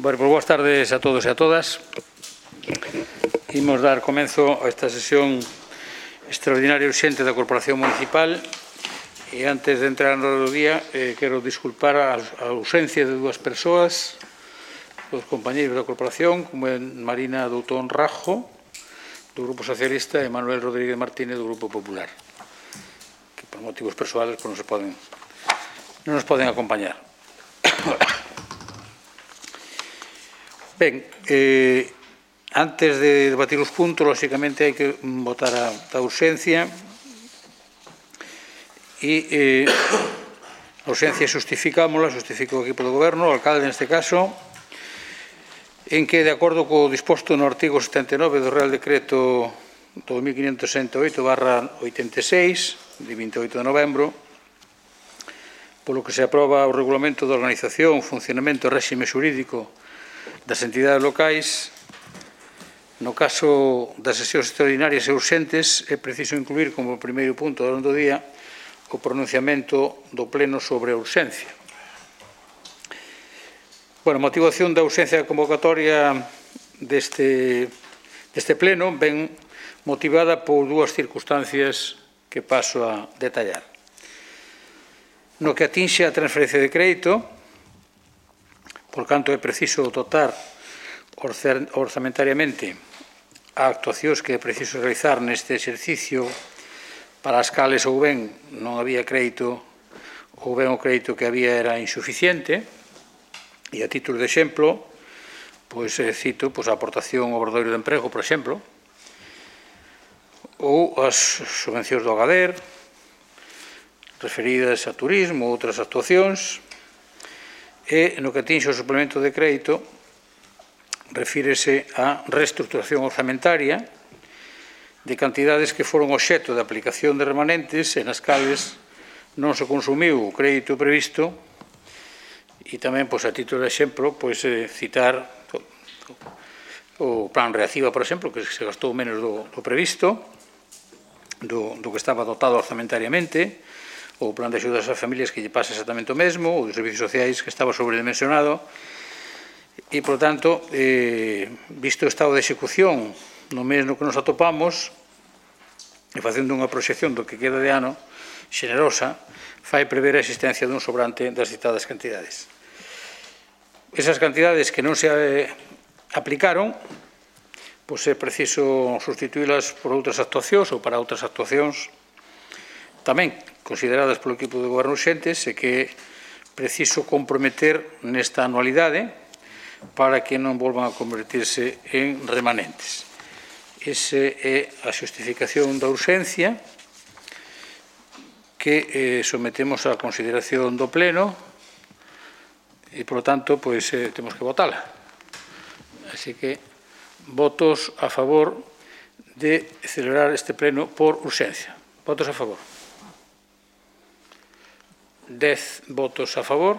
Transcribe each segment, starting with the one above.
Bueno, pues boas tardes a todos e a todas. Imos dar comenzo a esta sesión extraordinaria e urxente da Corporación Municipal e antes de entrar no día quero disculpar a ausencia de dúas persoas, dos compañeiros da Corporación, como é Marina Doutón Rajo, do Grupo Socialista, e Manuel Rodríguez Martínez, do Grupo Popular, que por motivos persoales non nos poden acompañar. Ben, antes de debatir os puntos, lóxicamente hai que votar a urxencia e a urxencia justifica o equipo do Goberno, o alcalde neste caso, en que, de acordo co disposto no artigo 79 do Real Decreto 2568/86, de 28 de novembro, polo que se aproba o Regulamento de Organización, Funcionamento e Réxime Xurídico das entidades locais, no caso das sesións extraordinarias e urxentes, é preciso incluir como primeiro punto do día o pronunciamento do Pleno sobre a urxencia. Bueno, a motivación da urxencia da convocatoria deste Pleno ven motivada por dúas circunstancias que paso a detallar. No que atinxe a transferencia de crédito, por tanto, é preciso dotar orzamentariamente a actuacións que é preciso realizar neste exercicio para as cales ou ben non había crédito ou ben o crédito que había era insuficiente. E a título de exemplo, cito a aportación ao Obradoiro de Emprego, por exemplo, ou as subvencións do Agader referidas a turismo ou outras actuacións. E no que atinxe o suplemento de crédito refírese á reestructuración orzamentaria de cantidades que foron obxecto de aplicación de remanentes e nas cales non se consumiu o crédito previsto e tamén, a título de exemplo, citar o plan Reactiva, por exemplo, que se gastou menos do previsto, do que estaba dotado orzamentariamente, o plan de axudas ás familias que lle pasa exactamente o mesmo, o dos servicios sociais que estaba sobredimensionado e, por tanto, visto o estado de execución no mes no que nos atopamos e facendo unha proxección do que queda de ano xenerosa, fai prever a existencia dun sobrante das citadas cantidades. Esas cantidades que non se aplicaron, é preciso sustituílas por outras actuacións ou para outras actuacións tamén consideradas polo equipo de goberno urxentes e que é preciso comprometer nesta anualidade para que non volvan a convertirse en remanentes. Esa é a xustificación da urxencia que sometemos á consideración do Pleno e, por tanto, temos que votala. Así que, votos a favor de celebrar este Pleno por urxencia. Votos a favor. 10 votos a favor.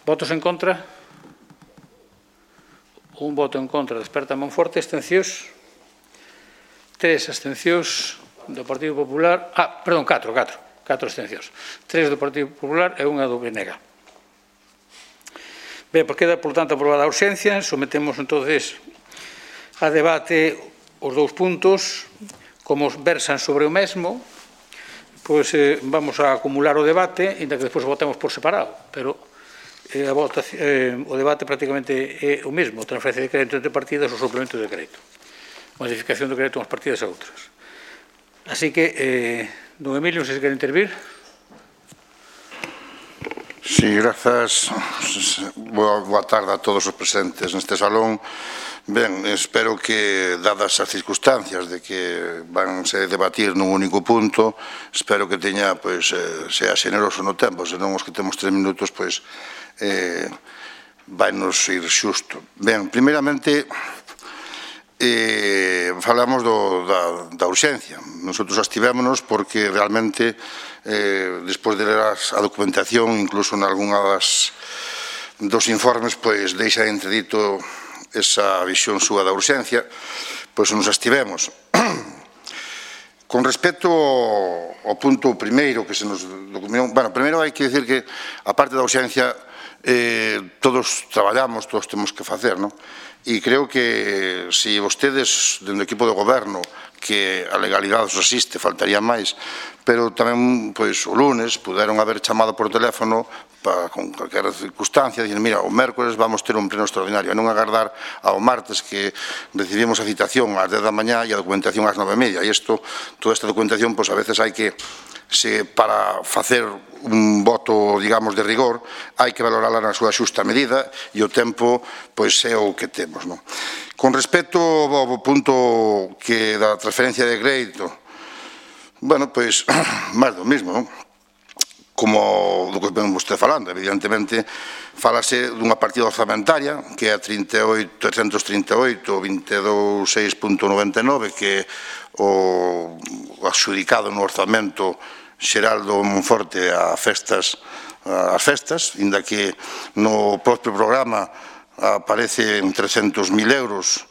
Votos en contra? Un voto en contra. Desperta man forte. Abstencións? 3 abstencións do Partido Popular. Perdón, 4 abstencións. 3 do Partido Popular e unha do BNG. Ben, queda, por tanto, aprobada a urxencia. Sometemos, entonces, a debate os dous puntos. Como versan sobre o mesmo, vamos a acumular o debate, ainda que despois votemos por separado, pero o debate prácticamente é o mesmo, transferencia de crédito entre partidas ou suplemento de crédito, modificación de crédito unhas partidas a outras. Así que, don Emilio, non sei se quere intervir. Sí, grazas. Boa tarde a todos os presentes neste salón. Ben, espero que, dadas as circunstancias de que vanse debatir nun único punto, espero que teña, sea xeneroso no tempo, senón os que temos 3 minutos, vai nos ir xusto. Ben, primeiramente, falamos da urxencia. Nosotros abstivémonos porque realmente, despois de ler a documentación, incluso en algunha dos informes, deixa entredito esa visión súa da urxencia, nos abstivemos. Con respecto ao punto primeiro que se nos documentou, primeiro hai que dicir que, a parte da urxencia, todos traballamos, todos temos que facer, non? E creo que se vostedes, dentro do equipo de goberno, que a legalidade os asiste, faltaría máis, pero tamén, pois, o lunes puderon haber chamado por teléfono con calquera circunstancia, dicir, mira, o mércoles vamos ter un pleno extraordinario, e non agardar ao martes que recibimos a citación ás 10 da mañá e a documentación ás 9:30, e toda esta documentación, pois, a veces hai que, para facer un voto, digamos, de rigor, hai que valorarla na súa xusta medida e o tempo, pois, é o que temos, non? Con respecto ao punto que da transferencia de crédito, bueno, pois, máis do mismo, non? Como do que ven vostede falando, evidentemente, falase dunha partida orzamentaria, que é a 338, 22.6.99, que é o adxudicado no orzamento xeral do Monforte ás festas, inda que no propio programa aparece en 300.000 euros,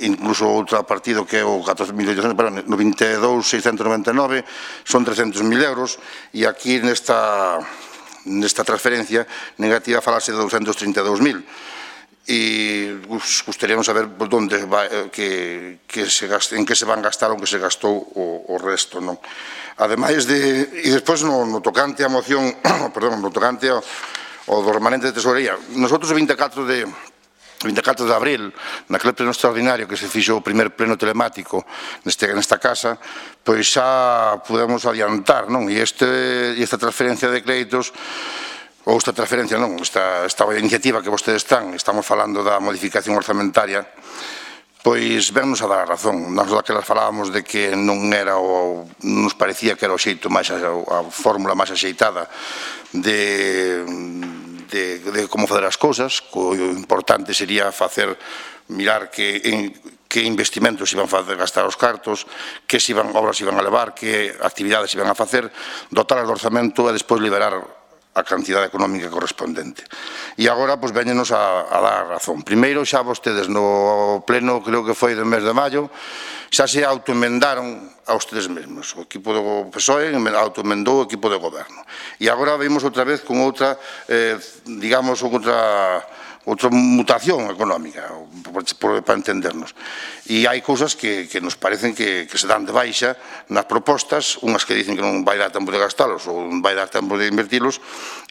incluso outra partido que é o 14.800, no 22.699 son 300.000 euros, e aquí nesta transferencia negativa falase de 232.000. E gustaríamos saber en que se van gastar ou que se gastou o resto, non? Ademais de... E despois no tocante a moción, perdón, no tocante ao do remanente de tesorería, nosotros o 24 de abril, naquele pleno extraordinario que se fixo o primer pleno telemático nesta casa, pois xa pudemos adiantar, non? E esta transferencia de créditos, ou esta transferencia non, esta iniciativa que vostedes estamos falando da modificación orzamentaria, pois vennos a dar a razón. Nós daquelas falábamos de que non nos parecía que era o xeito máis, a fórmula máis axeitada de como fazer as cousas. O importante sería mirar que investimentos iban a gastar os cartos, que obras iban a levar, que actividades iban a facer, dotar do orzamento e despois liberar a cantidade económica correspondente. E agora, pois, véñenos a dar razón. Primeiro, xa vostedes no pleno, creo que foi do mes de maio, xa se autoemendaron a vostedes mesmos. O equipo do PSOE autoemendou o equipo de goberno. E agora vimos outra vez con outra, digamos, outra mutación económica, para entendernos. E hai cousas que nos parecen que se dan de baixa nas propostas, unhas que dicen que non vai dar tempo de gastalos ou non vai dar tempo de invertilos,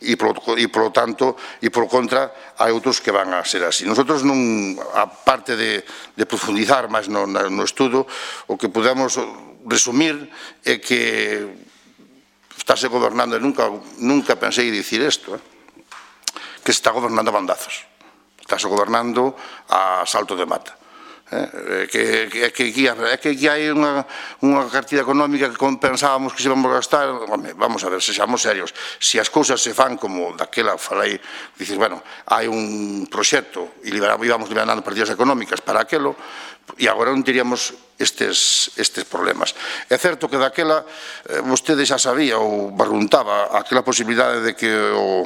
e polo tanto, e por contra, hai outros que van a ser así. Nosotros, a parte de profundizar máis no estudo, o que podemos resumir é que estáse gobernando, e nunca pensei dicir isto, que se está gobernando a bandazos. Estás gobernando a salto de mata. Que aquí hai unha cartida económica que pensábamos que se íbamos a gastar. Vamos a ver, sexamos serios. Se as cousas se fan como daquela falei, dices, bueno, hai un proxecto e íbamos liberando partidas económicas para aquelo, e agora non teríamos estes problemas. É certo que daquela vostede xa sabía ou barruntaba aquela posibilidade de que o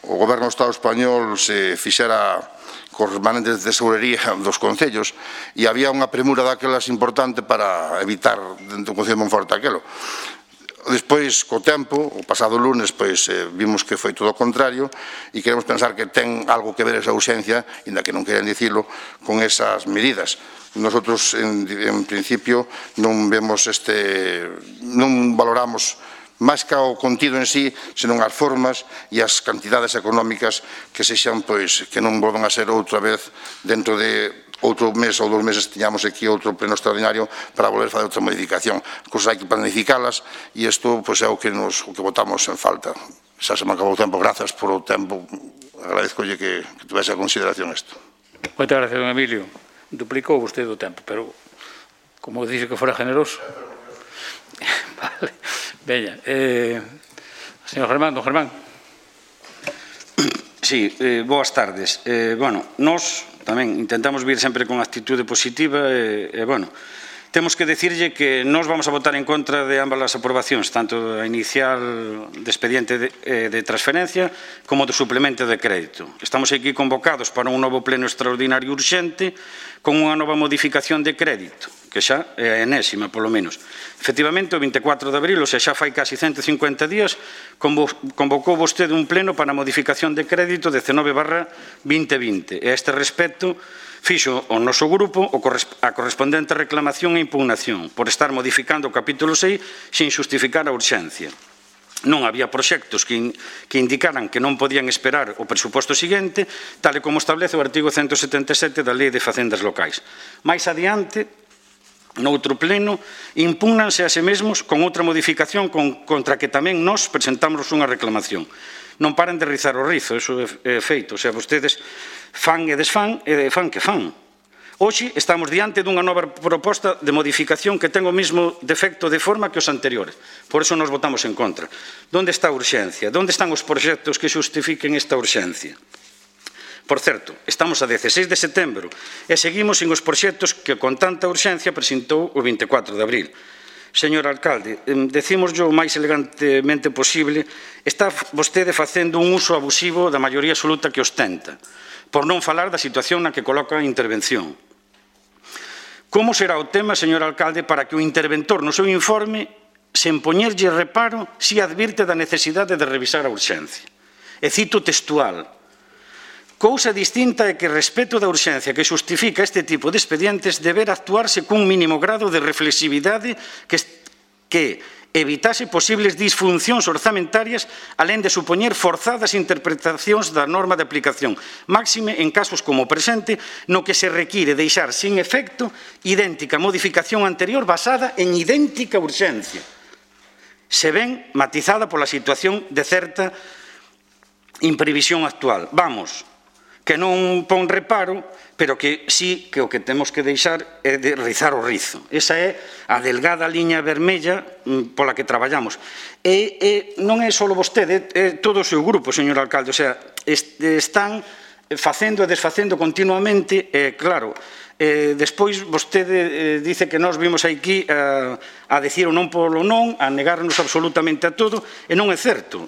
goberno do Estado español se fixera cos remanentes de tesorería dos concellos, e había unha premura daquelas importante para evitar dentro do Concello de Monforte aquelo. Despois, co tempo, o pasado lunes, pois vimos que foi todo o contrario, e queremos pensar que ten algo que ver esa ausencia, inda que non queren dicilo, con esas medidas. Nosotros, en principio, non valoramos máis que o contido en sí, senón as formas e as cantidades económicas que sexan, pois, que non volvan a ser outra vez dentro de outro mes ou 2 meses tiñamos aquí outro pleno extraordinario para volver a fazer outra modificación. Cousas hai que planificalas, e isto, pois, é o que votamos en falta. Xa se me acabou o tempo, grazas por o tempo. Agradezcolle que tuvese a consideración isto. Moitas gracias, don Emilio. Duplicou vostede o tempo, pero como dixe que fora generoso. Vale. Veña, señor Germán, don Germán. Sí, boas tardes. Bueno, nós tamén intentamos vir sempre con actitude positiva e, bueno, temos que dicirlle que nós vamos a votar en contra de ambas as aprobacións, tanto a inicial de expediente de transferencia como do suplemento de crédito. Estamos aquí convocados para un novo pleno extraordinario urxente con unha nova modificación de crédito, que xa é a enésima, polo menos. Efectivamente, o 24 de abril, ou xa fai casi 150 días, convocou vostede un pleno para a modificación de crédito 19/2020. E a este respecto, fixo o noso grupo a correspondente reclamación e impugnación por estar modificando o capítulo 6 sin xustificar a urxencia. Non había proxectos que indicaran que non podían esperar o presuposto seguinte, tal e como establece o artigo 177 da Lei de Facendas Locais. Mais adiante, noutro pleno, impúgnanse a se mesmos con outra modificación contra que tamén nós presentamos unha reclamación. Non paran de rizar o rizo, eso é feito. O sea, vostedes fan e desfan e fan que fan. Hoxe estamos diante dunha nova proposta de modificación que ten o mesmo defecto de forma que os anteriores. Por eso nos votamos en contra. Onde está a urxencia? Onde están os proxectos que xustifiquen esta urxencia? Por certo, estamos a 16 de setembro e seguimos sin os proxectos que con tanta urxencia presentou o 24 de abril. Señor alcalde, decímoslo o máis elegantemente posible, está vostede facendo un uso abusivo da maioría absoluta que ostenta, por non falar da situación na que coloca a intervención. Como será o tema, señor alcalde, para que o interventor no seu informe, sen poñerlle reparo, si advirte da necesidade de revisar a urxencia? E cito textual: cousa distinta é que respecto da urxencia que xustifica este tipo de expedientes deber actuarse cun mínimo grado de reflexividade que evitase posibles disfuncións orzamentarias alén de supoñer forzadas interpretacións da norma de aplicación, máxime en casos como o presente no que se require deixar sin efecto idéntica modificación anterior basada en idéntica urxencia, se ven matizada pola situación de certa imprevisión actual. Vamos, que non pon reparo, pero que sí que o que temos que deixar é de rizar o rizo. Esa é a delgada liña vermella pola que traballamos. E non é só vostede, é todo o seu grupo, señor alcalde. O sea, están facendo e desfacendo continuamente, claro, despois vostede dice que nós vimos aquí a decir o non polo non, a negarnos absolutamente a todo, e non é certo.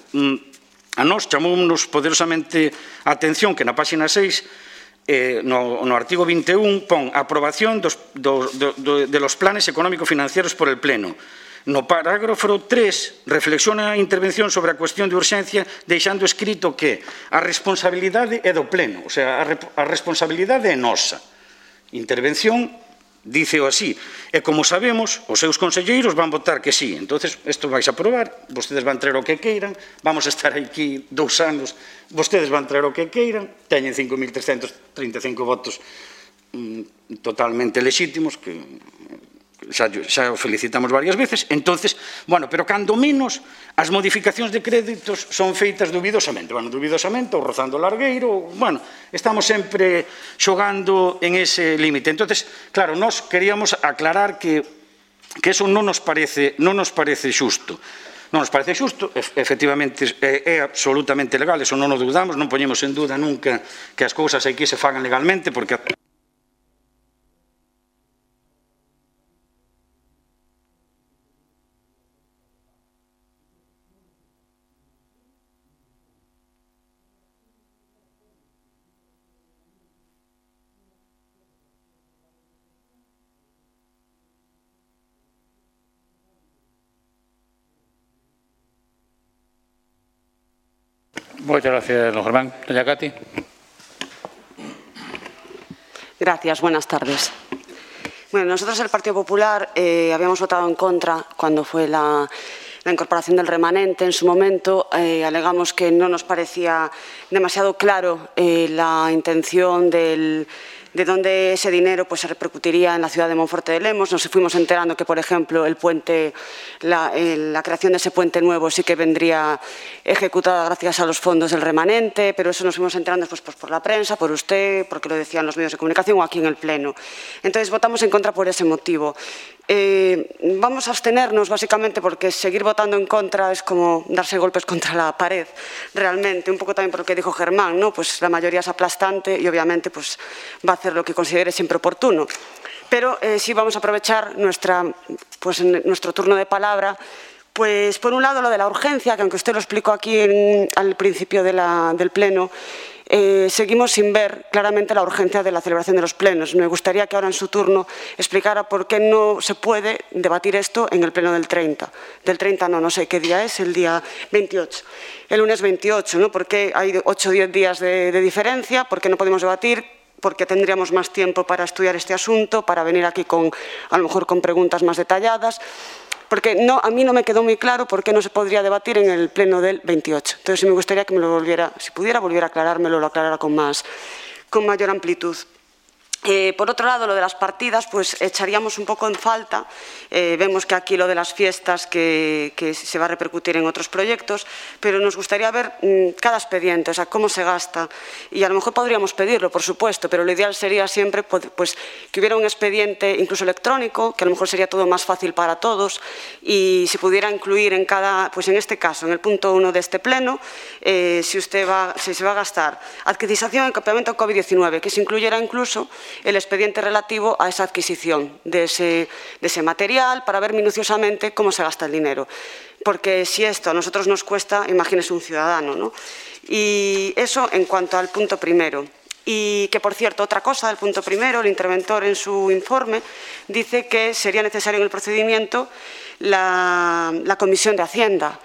A nós chamounos poderosamente a atención que na páxina 6, no artigo 21, pon a aprobación de los planes económico-financieros por el Pleno. No parágrafo 3, reflexiona a intervención sobre a cuestión de urxencia, deixando escrito que a responsabilidade é do Pleno, o sea, a responsabilidade é nosa. Intervención díceo así, e como sabemos, os seus conselleiros van votar que sí. Entonces, isto vais a aprobar, vostedes van traer o que queiran, vamos a estar aquí 2 anos, vostedes van traer o que queiran, teñen 5.335 votos totalmente lexítimos, que xa o felicitamos varias veces. Entonces, bueno, pero cando menos as modificacións de créditos son feitas dubidosamente, bueno, dubidosamente, ou rozando o largueiro, bueno, estamos sempre xogando en ese límite. Entonces, claro, nós queríamos aclarar que eso non nos parece xusto. Non nos parece xusto, efectivamente é absolutamente legal, eso non o dudamos, non poñemos en duda nunca que as cousas aquí se fagan legalmente, porque Muchas gracias, don Germán. Doña Cati. Gracias, buenas tardes. Bueno, nosotros el Partido Popular habíamos votado en contra cuando fue la incorporación del remanente. En su momento alegamos que no nos parecía demasiado claro la intención de dónde ese dinero se repercutiría en la ciudad de Monforte de Lemos. Nos fuimos enterando que, por ejemplo, el puente, la creación de ese puente nuevo sí que vendría ejecutada gracias a los fondos del remanente, pero eso nos fuimos enterando después por la prensa, por usted, porque lo decían los medios de comunicación o aquí en el Pleno. Entonces, votamos en contra por ese motivo. Vamos a abstenernos básicamente porque seguir votando en contra es como darse golpes contra la pared, realmente, un poco también por lo que dijo Germán, ¿no? Pues la mayoría es aplastante y obviamente pues, va a hacer lo que considere siempre oportuno. Pero sí vamos a aprovechar nuestro turno de palabra. Pues, por un lado, lo de la urgencia, que aunque usted lo explicó aquí al principio del Pleno, seguimos sin ver claramente la urgencia de la celebración de los plenos. Me gustaría que ahora en su turno explicara por qué no se puede debatir esto en el Pleno del 30. Del 30 no sé qué día es, el día 28. El lunes 28, ¿no? Porque hay 8 o 10 días de diferencia, ¿por qué no podemos debatir? Porque tendríamos más tiempo para estudiar este asunto, para venir aquí a lo mejor con preguntas más detalladas. Porque a mí no me quedó muy claro por qué no se podría debatir en el pleno del 28. Entonces, sí me gustaría que me lo volviera, si pudiera volver a aclarármelo, lo aclarara con mayor amplitud. Por otro lado, lo de las partidas, pues echaríamos un poco en falta. Vemos que aquí lo de las fiestas que se va a repercutir en otros proyectos, pero nos gustaría ver cada expediente, o sea, cómo se gasta. Y a lo mejor podríamos pedirlo, por supuesto, pero lo ideal sería siempre pues, que hubiera un expediente incluso electrónico, que a lo mejor sería todo más fácil para todos, y se pudiera incluir en pues en este caso, en el punto 1 de este pleno, si se va a gastar adquisición y equipamiento COVID-19, que se incluyera incluso el expediente relativo a esa adquisición de ese material para ver minuciosamente cómo se gasta el dinero. Porque si esto a nosotros nos cuesta, imagínese un ciudadano, ¿no? Y eso en cuanto al punto primero. Y que, por cierto, otra cosa del punto primero, el interventor en su informe dice que sería necesario en el procedimiento la Comisión de Hacienda.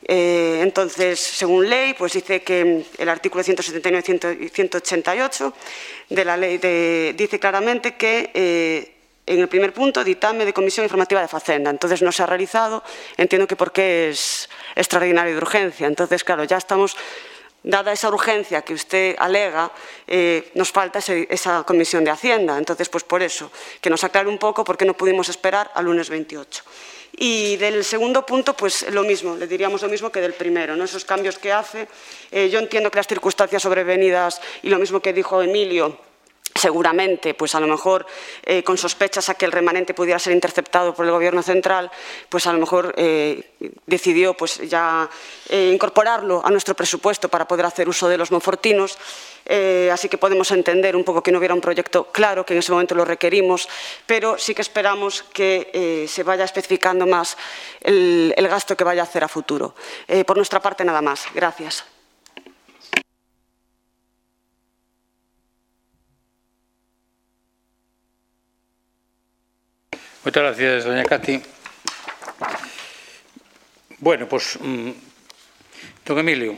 Entonces, según ley, pues dice que el artículo 179 y 188 de la ley dice claramente que en el primer punto, dictamen de Comisión Informativa de Facenda. Entonces, no se ha realizado, entiendo que porque es extraordinario de urgencia. Entonces, claro, ya estamos, dada esa urgencia que usted alega, nos falta esa Comisión de Hacienda. Entonces, pues por eso, que nos aclare un poco por qué no pudimos esperar al lunes 28. Y del segundo punto, pues lo mismo, le diríamos lo mismo que del primero, ¿no? Esos cambios que hace. Yo entiendo que las circunstancias sobrevenidas, y lo mismo que dijo Emilio, seguramente, pues a lo mejor con sospechas a que el remanente pudiera ser interceptado por el Gobierno central, pues a lo mejor decidió pues ya incorporarlo a nuestro presupuesto para poder hacer uso de los monfortinos. Así que podemos entender un poco que no hubiera un proyecto claro, que en ese momento lo requerimos, pero sí que esperamos que se vaya especificando más el gasto que vaya a hacer a futuro. Por nuestra parte, nada más. Gracias. Moitas gracias, doña Cati. Bueno, pues, don Emilio,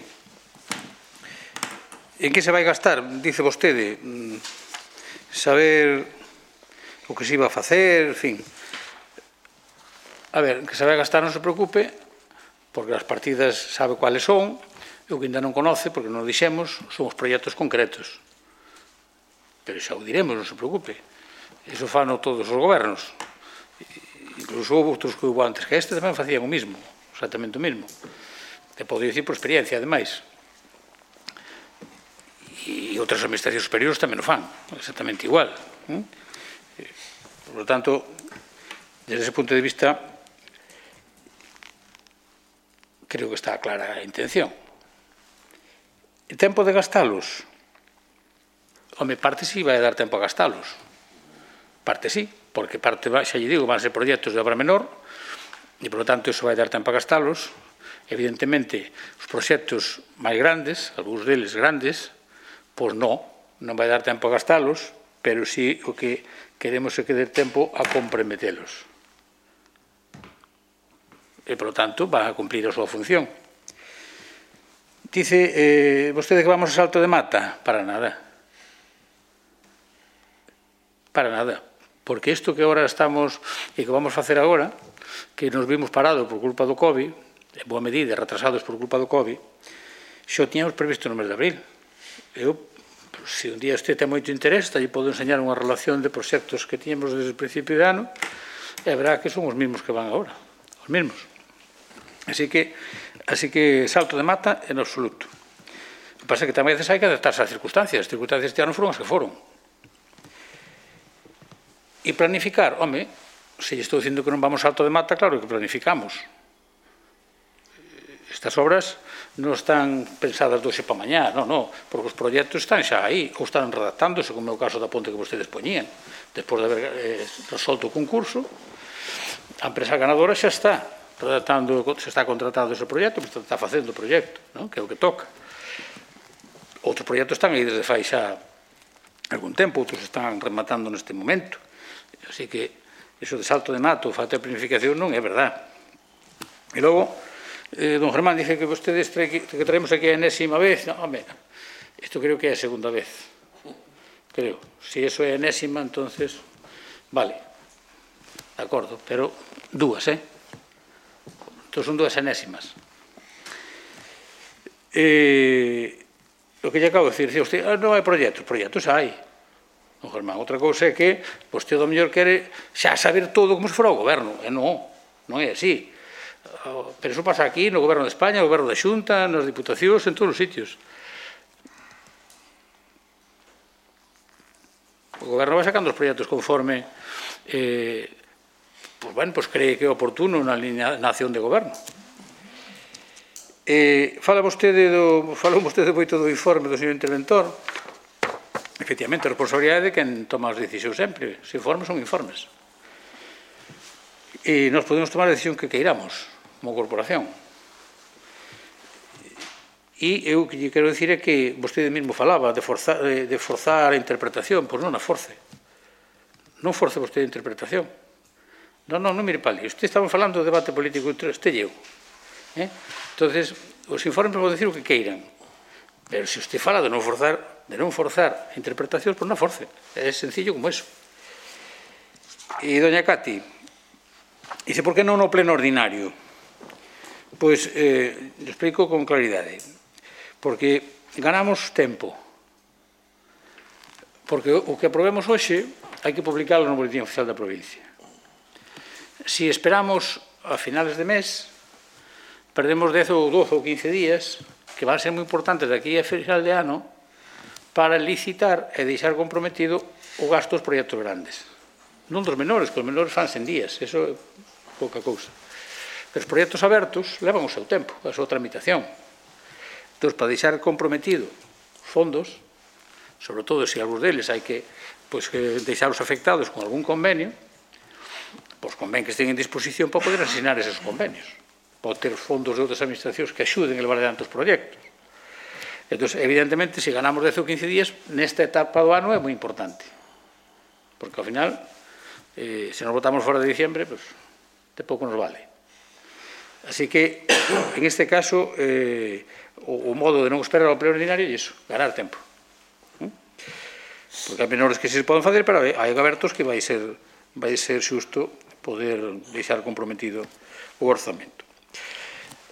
en que se vai gastar? Dice vostede, saber o que se iba a facer, en fin. A ver, que se vai gastar non se preocupe, porque as partidas sabe cuáles son, e o que ainda non conoce, porque non o dixemos, son os proxectos concretos. Pero xa o diremos, non se preocupe. Iso fan todos os gobernos. Incluso outros que hubo antes que este tamén facían o mismo, exactamente o mismo. Te podo dicir por experiencia, ademais. E outras administracións superiores tamén o fan, exactamente igual. Por lo tanto, desde ese punto de vista, creo que está clara a intención. E tempo de gastalos? Home, parte sí vai dar tempo a gastalos. Parte sí, porque parte, xa lle digo, van a ser proxectos de obra menor e, por lo tanto, iso vai dar tempo a gastalos. Evidentemente, os proxectos máis grandes, algúns deles grandes, pois non vai dar tempo a gastalos, pero sí o que queremos é que dê tempo a comprometelos. E, por lo tanto, van a cumplir a súa función. Dice vostede que vamos a salto de mata? Para nada. Para nada. Porque isto que agora estamos e que vamos facer agora, que nos vimos parados por culpa do COVID, en boa medida, retrasados por culpa do COVID, xo tiñamos previsto no mes de abril. Eu, se un día este ten moito interés, lle podo enseñar unha relación de proxectos que tiñamos desde o principio de ano, e verá que son os mesmos que van agora, os mesmos. Así que salto de mata en absoluto. O que pasa é que tamén veces hai que adaptarse ás circunstancias. As circunstancias este ano foron as que foron. E planificar, home, se lle estou dicindo que non vamos alto de mata, claro que planificamos. Estas obras non están pensadas de hoxe para mañá, non, porque os proxectos están xa aí, ou están redactándose, como é o caso da ponte que vostedes poñían. Despois de haber resolto o concurso, a empresa ganadora xa está redactando, se está contratado ese proxecto, está facendo o proxecto, que é o que toca. Outros proxectos están aí desde fai xa algún tempo, outros están rematando neste momento. Así que iso de salto de mato, falta de planificación, non é verdade. E logo, don Germán dice que vostedes que traemos aquí a enésima vez. Non, home, isto creo que é a segunda vez. Creo. Se iso é a enésima, entonces, vale. De acordo, pero dúas, Entón son dúas enésimas. O que lle acabo de dicir, usted, non hai proxectos hai. Non, Germán, outra cousa é que vostede ao mellor quere xa saber todo como se fora o goberno. E non é así. Pero iso pasa aquí, no goberno de España, no goberno da Xunta, nas diputacións, en todos os sitios. O goberno vai sacando os proxectos conforme cree que é oportuno na acción de goberno. Falou vostede moito do informe do señor interventor. Efectivamente, a responsabilidade de quen toma as decisións sempre. Os informes son informes. E nós podemos tomar a decisión que queiramos como corporación. E eu que lle quero dicir é que vostede mesmo falaba de forzar a interpretación. Pois non a force. Non force vostede a interpretación. Non mire para ali. Usted estaba falando do debate político entre este e eu. Entonces, os informes vão decir o que queiran. Pero se usted fala de non forzar a interpretación, pois non force. É sencillo como eso. E doña Cati dice, por que non no pleno ordinario? Pois, le explico con claridade. Porque ganamos tempo. Porque o que aprobemos hoxe hai que publicarlo no Boletín Oficial da Provincia. Se esperamos a finales de mes, perdemos 10 ou 12 ou 15 días, que van a ser moi importantes daqui a final de ano, para licitar e deixar comprometido o gasto dos proxectos grandes. Non dos menores, que os menores fanse en días, eso é pouca cousa. Pero os proxectos abertos levan o seu tempo, a súa tramitación. Entón, para deixar comprometido fondos, sobre todo se algúns deles hai que deixarlos afectados con algún convenio, pois convén que estén en disposición para poder asinar esos convenios, para ter fondos de outras administracións que axuden a levar adiante os proxectos. Entón, evidentemente, se ganamos 10 ou 15 días, nesta etapa do ano é moi importante, porque ao final, se nos votamos fora de diciembre, pois, de pouco nos vale. Así que, en este caso, o modo de non esperar ao pleno ordinario é iso, ganar tempo. Porque hai menores que se poden facer, pero hai abertos que vai ser xusto poder deixar comprometido o orzamento.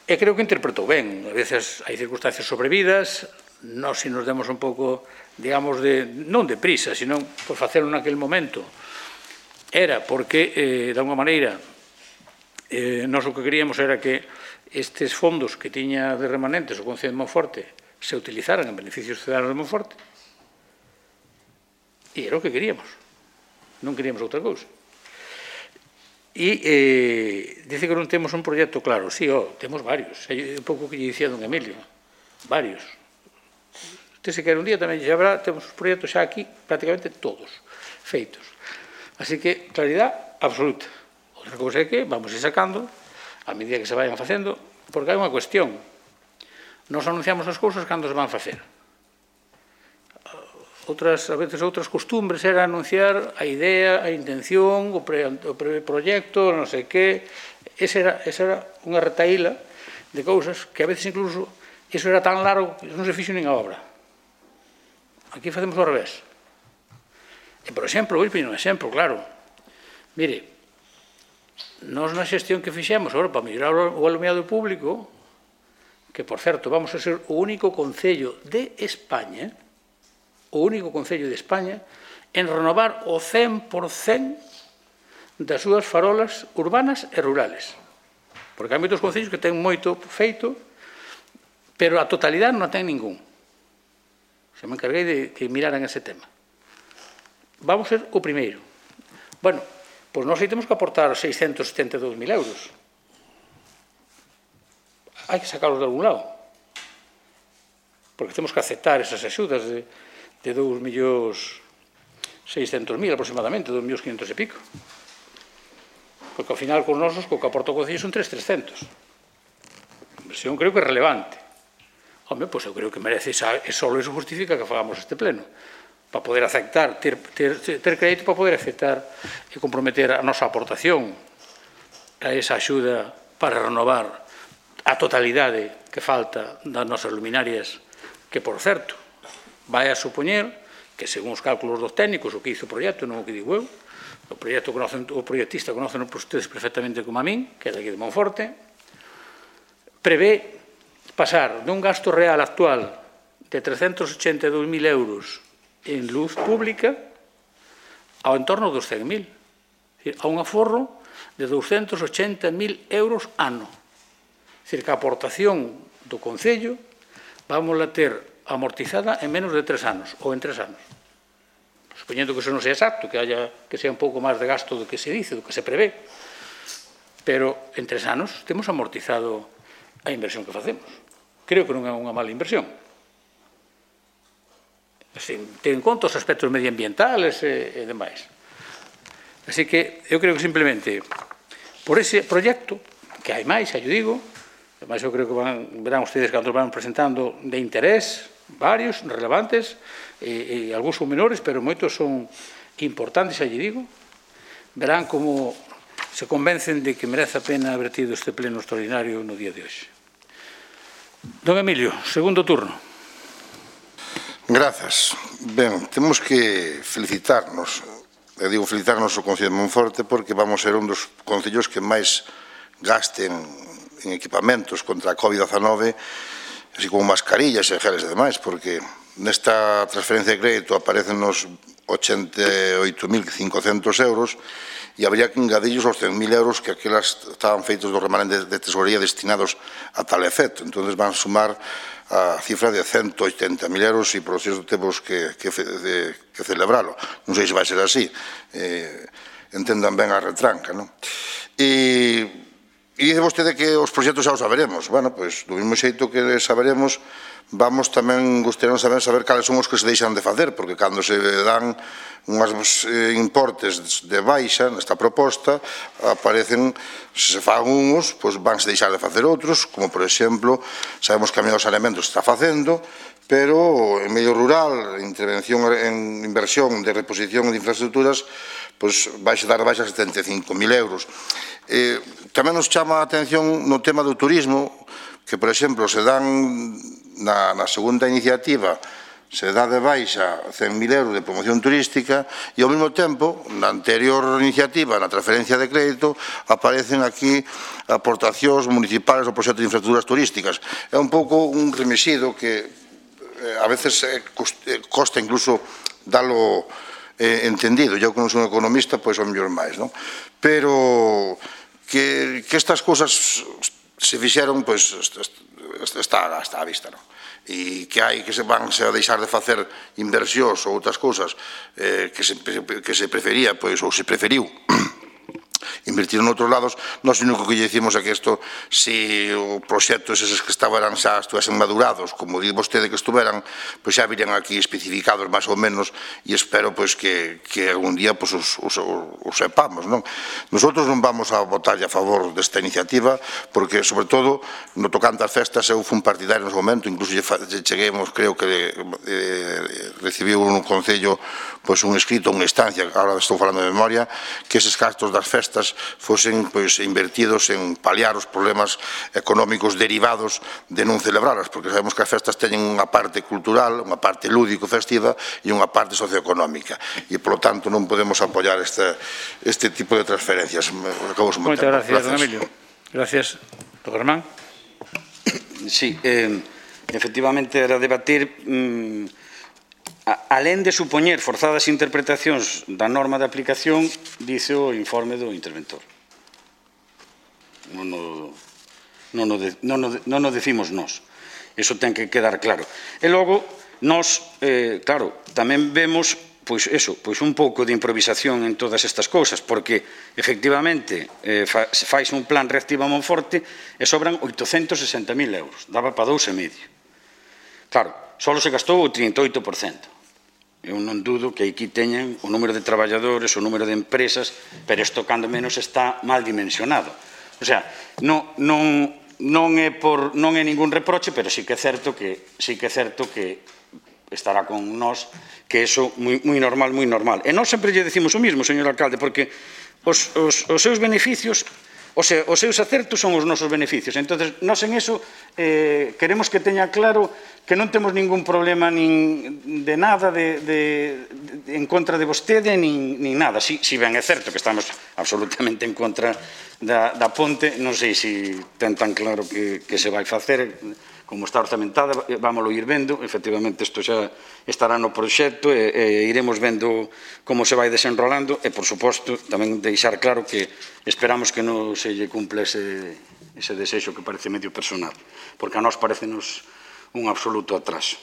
E creo que interpretou ben. A veces hai circunstancias sobrevidas, nós se nos demos un pouco, digamos, non de prisa, sino por facelo naquele momento. Era porque, de alguma maneira, nós o que queríamos era que estes fondos que tiña de remanentes o Concello de Monforte se utilizaran en beneficios ciudadanos de Monforte. E era o que queríamos. Non queríamos outra cousa. E dice que non temos un proxecto claro. Sí, temos varios. É un pouco que lle dicía don Emilio. Varios. Usted se quer un día tamén xa habrá, temos os proxectos xa aquí, prácticamente todos feitos. Así que, claridade absoluta. Outra cousa é que vamos ir sacando a medida que se vayan facendo, porque hai unha cuestión. Nos anunciamos as cousas cando se van facer. A veces outras costumbres era anunciar a idea, a intención, o proxecto, non sei que. Esa era unha retaíla de cousas que a veces incluso iso era tan largo que non se fixo nin a obra. Aquí facemos ao revés. E, por exemplo, vou poñer un exemplo, claro. Mire, nós na xestión que fixemos agora para mellorar o alumiado público, que, por certo, vamos a ser o único concello de España, en renovar o 100% das súas farolas urbanas e rurales. Porque hai moitos concellos que ten moito feito, pero a totalidade non ten ningún. Se me encarguei de que miraran ese tema. Vamos ser o primeiro. Bueno, pois nós aí temos que aportar 672.000 euros. Hai que sacarlos de algún lado, porque temos que aceptar esas axudas de 2.600.000 aproximadamente, 2.500 e pico. Porque ao final con nosos, co que aporta o Concello son 3.300. A inversión creo que é relevante. Home, pois eu creo que merece, e só eso justifica que fagamos este pleno, para poder aceptar, ter crédito para poder aceptar e comprometer a nosa aportación a esa axuda para renovar a totalidade que falta das nosas luminarias, que, por certo, vai a supoñer que, según os cálculos dos técnicos, o que hizo o proxecto, non o que digo eu, o proxectista conocen ustedes perfectamente como a min, que é daqui de Monforte, prevé pasar dun gasto real actual de 382.000 euros en luz pública ao entorno dos 100.000, a un aforro de 280.000 euros ano. É dicir, que a aportación do Concello vamos a ter amortizada en menos de 3 anos, ou en 3 anos. Supoñendo que eso non sea exacto, que sea un pouco máis de gasto do que se dice, do que se prevé, pero en 3 anos temos amortizado a inversión que facemos. Creo que non é unha mala inversión. Ten en conta os aspectos medioambientales e demais. Así que eu creo que simplemente por ese proxecto, que hai máis, xa yo digo, ademais eu creo que verán ustedes cando van presentando de interés, varios, relevantes, e algúns son menores, pero moitos son importantes, xa lle digo, verán como se convencen de que merece a pena haber tido este pleno extraordinario no día de hoxe. Don Emilio, segundo turno. Grazas. Ben, temos que felicitarnos, eu digo felicitarnos ao Concello de Monforte porque vamos ser un dos concellos que máis gasten en equipamentos contra a COVID-19, así como mascarillas e geles e demais, porque nesta transferencia de crédito aparecen nos 88.500 euros e habría que engadillos os 100.000 euros que aquelas estaban feitos do remanente de tesorería destinados a tal efecto. Entón van sumar a cifra de 180.000 euros e por eso temos que celebralo. Non sei se vai ser así. Entendan ben a retranca, non? E dice vostede que os proxectos xa os saberemos. Bueno, pois, do mesmo xeito que saberemos, vamos tamén, gustaríamos saber cales son os que se deixan de facer, porque cando se dan unhas importes de baixa nesta proposta, aparecen, se fan uns, pois vanse deixar de facer outros, como, por exemplo, sabemos que a medio saneamento se está facendo, pero en medio rural, intervención en inversión de reposición de infraestructuras, pois vai dar baixa 75.000 euros. Tamén nos chama a atención no tema do turismo, que, por exemplo, se dan na segunda iniciativa, se dá de baixa 100.000 euros de promoción turística e, ao mesmo tempo, na anterior iniciativa, na transferencia de crédito, aparecen aquí aportacións municipales ao proxecto de infraestructuras turísticas. É un pouco un remexido que a veces costa incluso dalo entendido. Eu, que non son economista, pois ao mellor máis, non? Pero que estas cousas se fixeron, pois está á vista, non? E que hai que se van a deixar de facer inversións ou outras cousas que se prefería, pois, ou se preferiu invertir en outros lados. Nós o único que lle dicimos é que isto, se o proxectos eses que estaban xa estuesen madurados, como di vostede que estuveran, pois xa virían aquí especificados máis ou menos, e espero pois que algún día pois os sepamos, non? Nosotros non vamos a votarlle a favor desta iniciativa, porque, sobre todo, no tocante ás festas, eu fui un partidario no momento, incluso cheguemos, creo que recibiu un Concello pois un escrito, unha instancia, agora estou falando de memoria, que eses gastos das festas fosen invertidos en paliar os problemas económicos derivados de non celebrarlas, porque sabemos que as festas teñen unha parte cultural, unha parte lúdico-festiva e unha parte socioeconómica, e, polo tanto, non podemos apoiar este tipo de transferencias. Moitas gracias, don Emilio. Gracias. Don Germán. Sí, efectivamente, era debatir alén de supoñer forzadas interpretacións da norma de aplicación, dice o informe do interventor. Non o decimos nós. Iso ten que quedar claro. E logo, nós, claro, tamén vemos pois un pouco de improvisación en todas estas cousas, porque efectivamente fais un plan Reactiva Monforte e sobran 860.000 euros, daba para 2,5. Claro, só se gastou o 38%. Eu non dudo que aquí teñan o número de traballadores, o número de empresas, pero isto cando menos está mal dimensionado. O sea, non é ningún reproche, pero sí que é certo que estará con nós, que iso moi normal, moi normal. E nós sempre lle decimos o mismo, señor alcalde, porque os seus beneficios, os seus acertos son os nosos beneficios. Entón, nós en eso queremos que teña claro que non temos ningún problema nin de nada en contra de vostede, nin nada. Si ben é certo que estamos absolutamente en contra da ponte, non sei se ten tan claro que se vai facer. Como está orzamentada, vámoslo ir vendo, efectivamente isto xa estará no proxecto e iremos vendo como se vai desenrolando e, por suposto, tamén deixar claro que esperamos que non se lle cumple ese desexo que parece medio personal, porque a nós parecenos un absoluto atraso.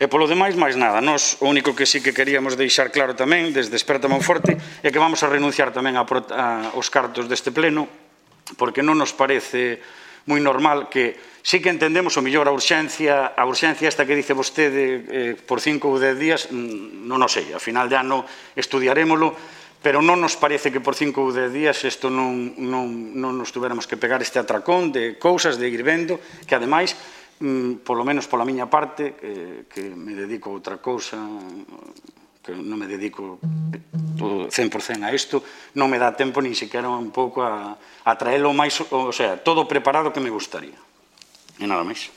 E polo demais, máis nada, nós o único que sí que queríamos deixar claro tamén, desde Esperta Monforte, é que vamos a renunciar tamén aos cartos deste pleno, porque non nos parece moi normal que sí que entendemos o mellor a urxencia esta que dice vostede por 5 ou 10 días, non o sei, a final de ano estudiarémolo, pero non nos parece que por 5 ou 10 días isto non nos tuveramos que pegar este atracón de cousas, de ir vendo, que ademais, polo menos pola miña parte, que me dedico a outra cousa, que non me dedico 100% a isto, non me dá tempo ni siquiera un pouco a traelo máis, o sea, todo preparado que me gustaría. E nada máis.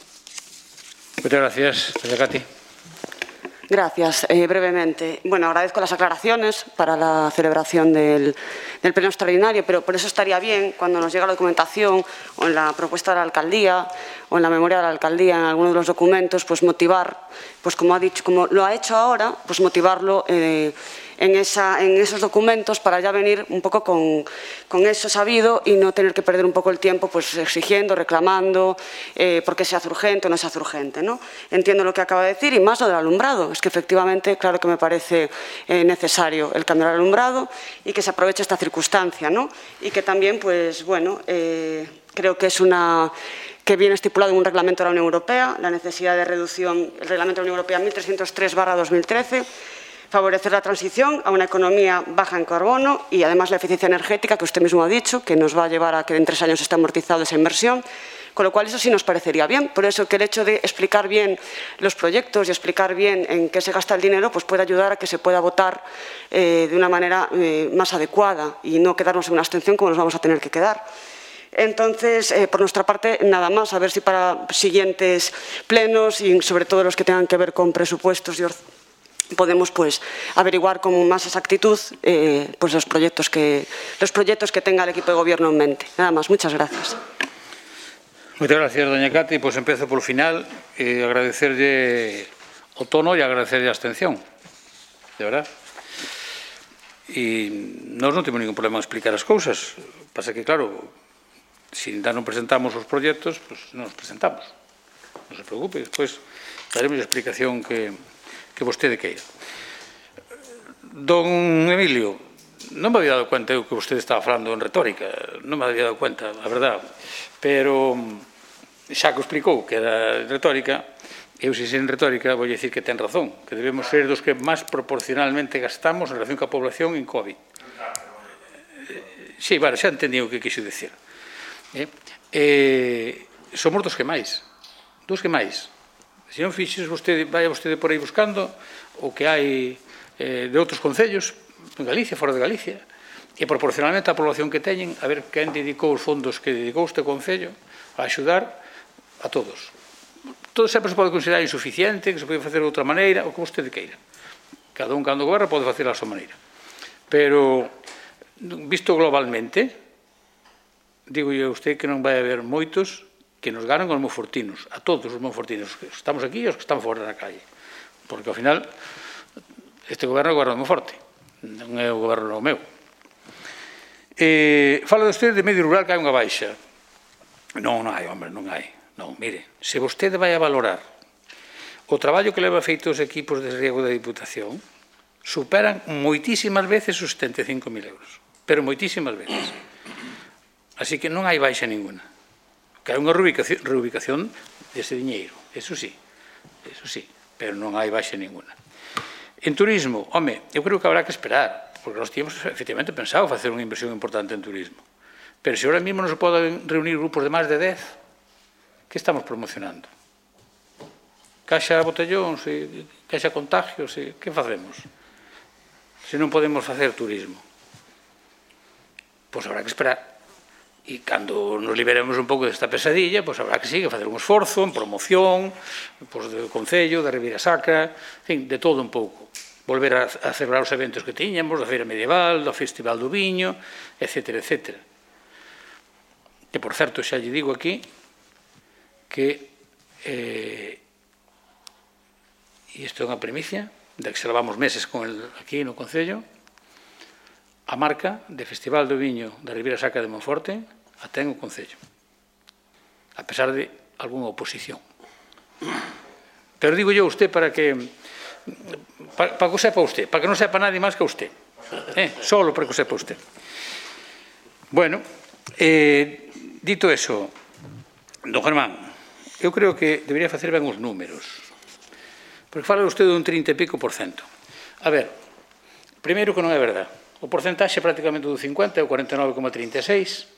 Moitas gracias, doña Cati. Gracias. Brevemente. Bueno, agradezco las aclaraciones para la celebración del pleno extraordinario, pero por eso estaría bien, cuando nos llega la documentación o en la propuesta de la alcaldía o en la memoria de la alcaldía, en alguno de los documentos, pues motivar, pues como ha dicho, como lo ha hecho ahora, pues motivarlo en esos documentos para ya venir un poco con eso sabido y no tener que perder un poco el tiempo pues exigiendo, reclamando, porque se hace urgente o no se hace urgente, ¿no? Entiendo lo que acaba de decir y más lo del alumbrado. Es que efectivamente, claro que me parece necesario el cambiar el alumbrado y que se aproveche esta circunstancia, ¿no? Y que también, pues bueno, creo que es que viene estipulado en un reglamento de la Unión Europea, la necesidad de reducción, el reglamento de la Unión Europea 1303/2013, favorecer la transición a una economía baja en carbono y además la eficiencia energética, que usted mismo ha dicho, que nos va a llevar a que en 3 años esté amortizado esa inversión, con lo cual eso sí nos parecería bien. Por eso que el hecho de explicar bien los proyectos y explicar bien en qué se gasta el dinero, pues puede ayudar a que se pueda votar de una manera más adecuada y no quedarnos en una abstención como nos vamos a tener que quedar. Entonces, por nuestra parte, nada más, a ver si para siguientes plenos y sobre todo los que tengan que ver con presupuestos podemos pues averiguar con más exactitud pues los proyectos que tenga el equipo de gobierno en mente. Nada más, muchas gracias. Muchas gracias, doña Cati. Pues empiezo por el final, agradecerle o tono y agradecerle a abstención, de verdad. Y nós non temos ningún problema en explicar as cousas. Pasa que, claro, se ainda non presentamos os proxectos, pues non os presentamos. Non se preocupe, despois daremos a explicación que vostede queira. Don Emilio, non me había dado cuenta eu que vostede estaba falando en retórica, non me había dado cuenta, a verdad, pero xa que explicou que era retórica, eu se en retórica vou dicir que ten razón, que debemos ser dos que máis proporcionalmente gastamos en relación coa población en COVID. Sí, bueno, xa entendí o que quixo dicir. Somos dos que máis, Se non fixes vostede, vaya vostede por aí buscando o que hai de outros concellos, en Galicia, fora de Galicia, e proporcionalmente a población que teñen, a ver quen dedicou os fondos que dedicou este concello a axudar a todos. Todo sempre se pode considerar insuficiente, que se pode facer de outra maneira, o que vostede queira. Cada un cando goberna pode facer a súa maneira. Pero, visto globalmente, digo eu a usted que non vai haber moitos que nos ganan os monfortinos, a todos os monfortinos, os que estamos aquí e os que están fora na calle. Porque, ao final, este goberno é o goberno moi forte, non é o goberno meu. Fala vostede de medio rural que hai unha baixa. Non hai, hombre, non hai. Non, mire, se vostede vai a valorar o traballo que leva feito os equipos de riego da Diputación, superan moitísimas veces os 75.000 euros, pero moitísimas veces. Así que non hai baixa ninguna. Que hai unha reubicación dese diñeiro, eso sí, pero non hai baixa ninguna. En turismo, home, eu creo que habrá que esperar, porque nós tínhamos efectivamente pensado facer unha inversión importante en turismo. Pero se ahora mismo non se poden reunir grupos de máis de 10, que estamos promocionando? Caixa botellóns, caixa contagios, que facemos? Se non podemos facer turismo. Pois habrá que esperar. E cando nos liberemos un pouco desta pesadilla, pois habrá que sí, que facer un esforzo en promoción, pois do Concello, da Ribeira Sacra, en fin, de todo un pouco. Volver a celebrar os eventos que tiñamos, da Feira Medieval, do Festival do Viño, etcétera, etcétera. Que, por certo, xa lle digo aquí que e isto é unha primicia, de que se levamos meses aquí no Concello, a marca de Festival do Viño da Ribeira Sacra de Monforte a ten o Concello, a pesar de algunha oposición. Pero digo yo a usted para que o sepa usted, para que non sepa nadie máis que usted, solo para que o sepa usted. Bueno, dito eso, don Germán, eu creo que debería facer ben os números, porque fala usted dun 30 e pico %. A ver, primeiro que non é verdade. O porcentaxe prácticamente do 50 é o 49,36,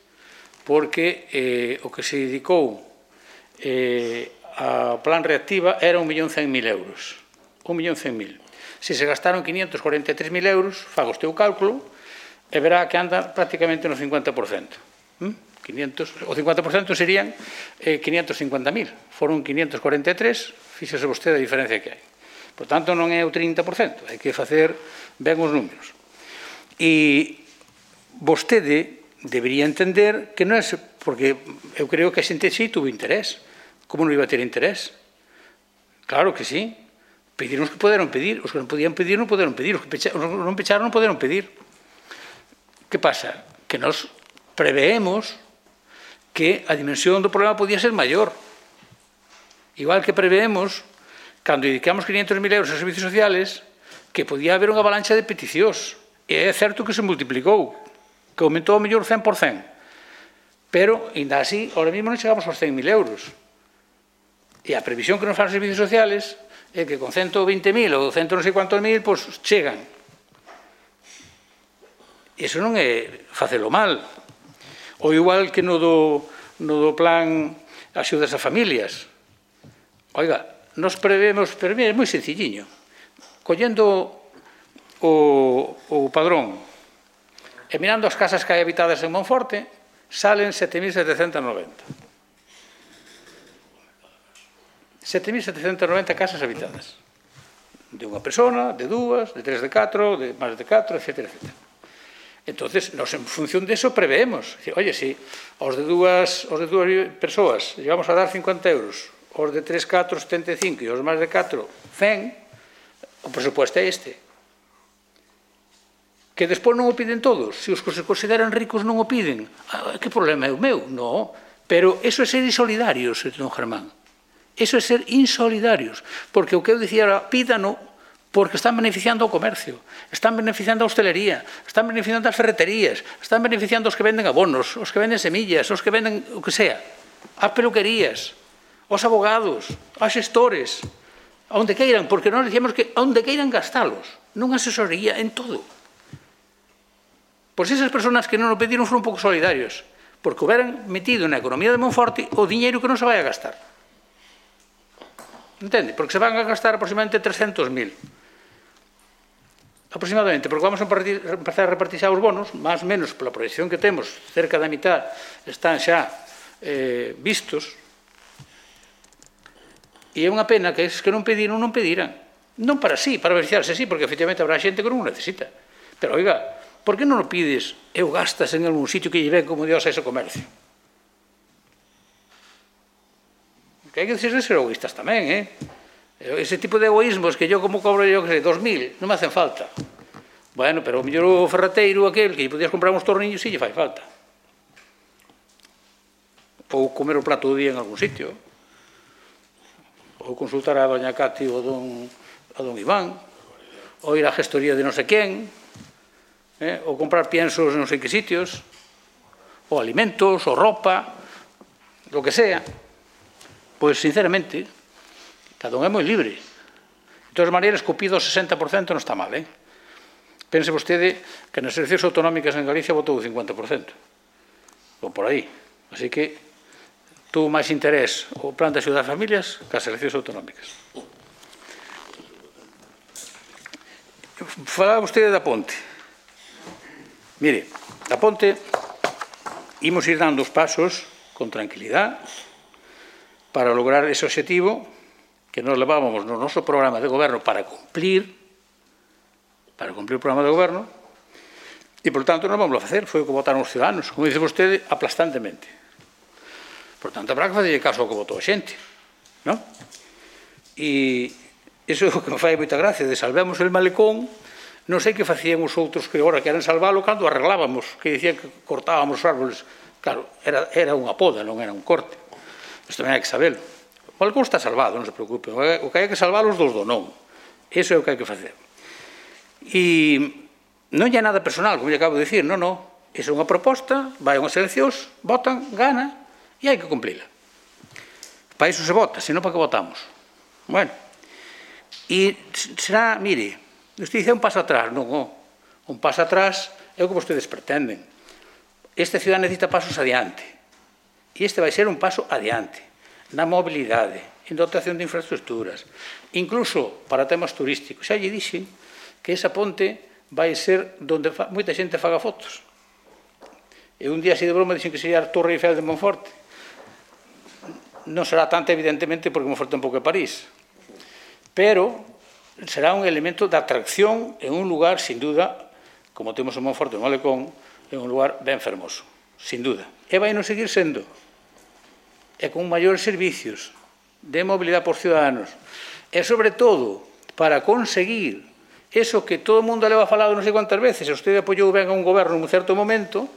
porque o que se dedicou ao plan reactiva era 1.100.000 euros. 1.100.000. Se se gastaron 543.000 euros, faga usted o cálculo, e verá que anda prácticamente no 50%. O 50% serían 550.000. Foron 543, fíxese vostede a diferencia que hai. Por tanto, non é o 30%, hai que facer ben os números. E vostede debería entender que non é, porque eu creo que a xente sí tuvo interés. Como non iba a ter interés? Claro que sí. Pedir os que poderon pedir, os que non podían pedir non poderon pedir, os que non pecharon non poderon pedir. Que pasa? Que nos preveemos que a dimensión do problema podía ser maior. Igual que preveemos, cando dedicamos 500.000 euros a servicios sociales, que podía haber unha avalancha de peticións. E é certo que se multiplicou, que aumentou ao mellor 100%. Pero, ainda así, ahora mesmo non chegamos aos 100.000 euros. E a previsión que nos fan os servicios sociales é que con 120.000 ou 100 non sei cuántos mil, pois chegan. Iso non é facelo mal. Ou igual que no do plan axudas a familias. Oiga, nos prevemos, pero mira, é moi sencilliño. Collendo o padrón e mirando as casas que hai habitadas en Monforte, salen 7.790. 7.790 casas habitadas. De unha persona, de dúas, de tres de catro, de máis de catro, etcétera, etcétera. Entonces, nos en función deso preveemos. Oye, si aos de dúas persoas llevamos a dar 50 euros, aos de 3, 4, 75 e aos máis de 4, 100, o presupuesto é este. Que despois non o piden todos. Se os que se consideran ricos non o piden, que problema é o meu? Non. Pero eso é ser insolidarios, don Germán. Eso é ser insolidarios. Porque o que eu dicía era, pídano, porque están beneficiando ao comercio, están beneficiando a hostelería, están beneficiando as ferreterías, están beneficiando os que venden abonos, os que venden semillas, os que venden o que sea, as peluquerías, os abogados, as xestores, onde queiran, porque nós dicíamos que onde queiran gastalos, non asesoría en todo. Pois esas persoas que non o pediron foron un pouco solidarios, porque houberan metido na economía de Monforte o diñeiro que non se vai a gastar. Entende? Porque se van a gastar aproximadamente 300.000. Aproximadamente, porque vamos a empezar a repartir xa os bonos, máis ou menos pola proyección que temos, cerca da mitad están xa vistos, e é unha pena que esses que non pediron non pediran. Non para sí, para beneficiarse sí, porque efectivamente habrá xente que non o necesita. Pero, oiga, por que non o pides e o gastas en algún sitio que lle ven como Dios a ese comercio? Que hai que ser egoístas tamén, ese tipo de egoísmos que yo como cobro, yo que sei, 2.000, non me hacen falta. Bueno, pero o mellor o ferrateiro aquel que lle podías comprar uns tornillos, sí lle fai falta. Ou comer o plato do día en algún sitio. Ou consultar a doña Cati ou a don Iván, ou ir á gestoría de non sei quen, ou comprar piensos en non sei que sitios, ou alimentos, ou ropa, lo que sea. Pois, sinceramente, cada un é moi libre. De todas maneiras, copido o 60% non está mal, Pense vostede que nas eleccións autonómicas en Galicia votou o 50%. Ou por aí. Así que tuvo máis interés o plan de axuda ás familias que as eleccións autonómicas. Falaba vostede da ponte. Mire, da ponte imos ir dando os pasos con tranquilidade para lograr ese objetivo que nos levábamos no noso programa de goberno para cumplir o programa de goberno e, por tanto, non vamos a facer. Foi o que votaron os ciudadanos, como dice vostede, aplastantemente. Por tanto, habrá que facerlle caso ao que votou a xente, non? E iso é o que me fai moita gracia, de salvemos el malecón, non sei que facían os outros que agora queren salvalo cando arreglábamos, que dicían que cortábamos os árboles. Claro, era unha poda, non era un corte. Isto tamén hai que sabelo. O malecón está salvado, non se preocupe. O que hai que salvar os dos do non. Iso é o que hai que facer. E non é nada personal, como lle acabo de dicir, non. Iso é unha proposta, vai a unhas eleccións, votan, gana, e hai que cumplila. Para iso se vota, senón para que votamos. Bueno, e será, mire, usted dice un paso atrás, non, un paso atrás é o que vostedes pretenden. Esta ciudad necesita pasos adiante, e este vai ser un paso adiante, na mobilidade, en dotación de infraestructuras, incluso para temas turísticos. Xa lle dixen que esa ponte vai ser onde moita xente faga fotos. E un día así de broma dixen que sería a Torre Eiffel de Monforte. Non será tanto, evidentemente, porque Monforte un pouco é París, pero será un elemento de atracción en un lugar, sin duda, como temos en Monforte, en Malecón, en un lugar ben fermoso, sin duda. E vai non seguir sendo. E con maiores servicios de mobilidade por ciudadanos. E, sobre todo, para conseguir eso que todo o mundo leva falado non sei quantas veces, e usted apoiou ben a un goberno en un certo momento,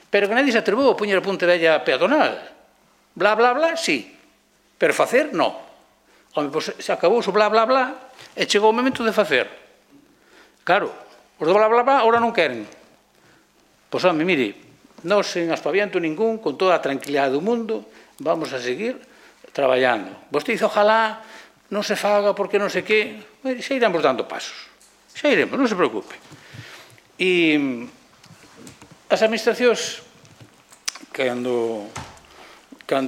pero que nadie se atrevou a poñer a Pontevella peatonal. Bla, bla, bla, sí. Pero facer, non. Home, pois se acabou o bla, bla, bla, e chegou o momento de facer. Claro, os do bla, bla, bla, ahora non queren. Pois, home, mire, nós sen aspaviento ningún, con toda a tranquilidade do mundo, vamos a seguir traballando. Vostede dice, ojalá non se faga porque non sei que. Xa iremos dando pasos. Xa iremos, non se preocupe. E as administracións, cando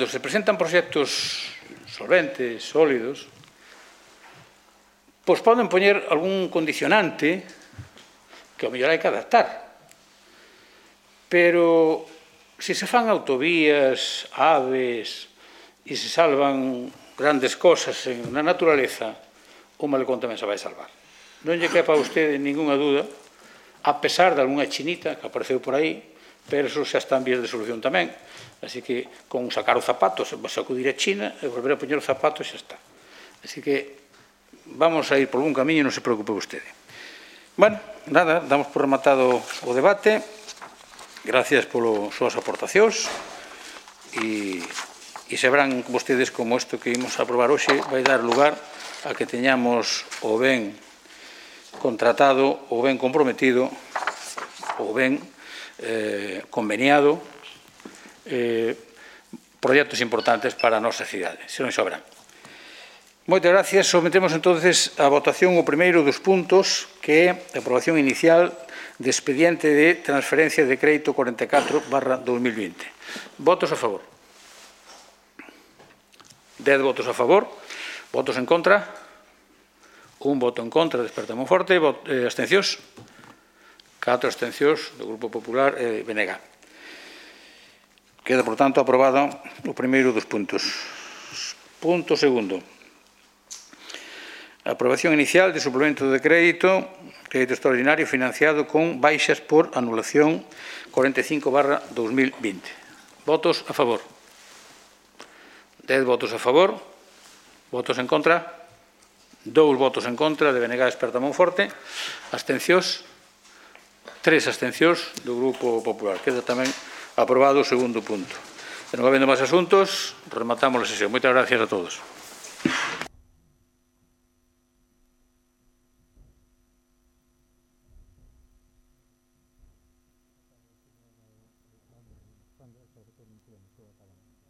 se presentan proxectos solventes, sólidos, pois poden poñer algún condicionante que ao mellor hai que adaptar. Pero se se fan autovías, aves, e se salvan grandes cosas na naturaleza, o malecón tamén se vai salvar. Non lle quepa a vostede ninguna dúda, a pesar de algunha chinita que apareceu por aí, pero eso xa está en vías de solución tamén. Así que, con sacar o zapato, sacudir a China e volver a poñer o zapato, xa está. Así que vamos a ir por un camiño, non se preocupe vostede. Bueno, nada, damos por rematado o debate. Gracias polas súas aportacións e sabrán vostedes como isto que imos aprobar hoxe vai dar lugar a que teñamos o ben contratado, o ben comprometido, o ben conveniado proxectos importantes para a nosa cidade, se non sobran. Moitas gracias. Sometemos entonces a votación o primeiro dos puntos, que é a aprobación inicial de expediente de transferencia de crédito 44/2020. Votos a favor. 10 votos a favor. Votos en contra. Un voto en contra, Desperta Monforte. Abstencións. 4 abstencións do Grupo Popular e BNG. Queda, por tanto, aprobado o primeiro dos puntos. Punto segundo. Aprobación inicial de suplemento de crédito extraordinario financiado con baixas por anulación 45/2020. Votos a favor. 10 votos a favor. Votos en contra. 2 votos en contra de BNG Desperta Monforte. Abstencións. 3 abstencións do Grupo Popular. Queda tamén aprobado o segundo punto. Se non habendo máis asuntos, rematamos a sesión. Moitas gracias a todos. Museo de Palamós.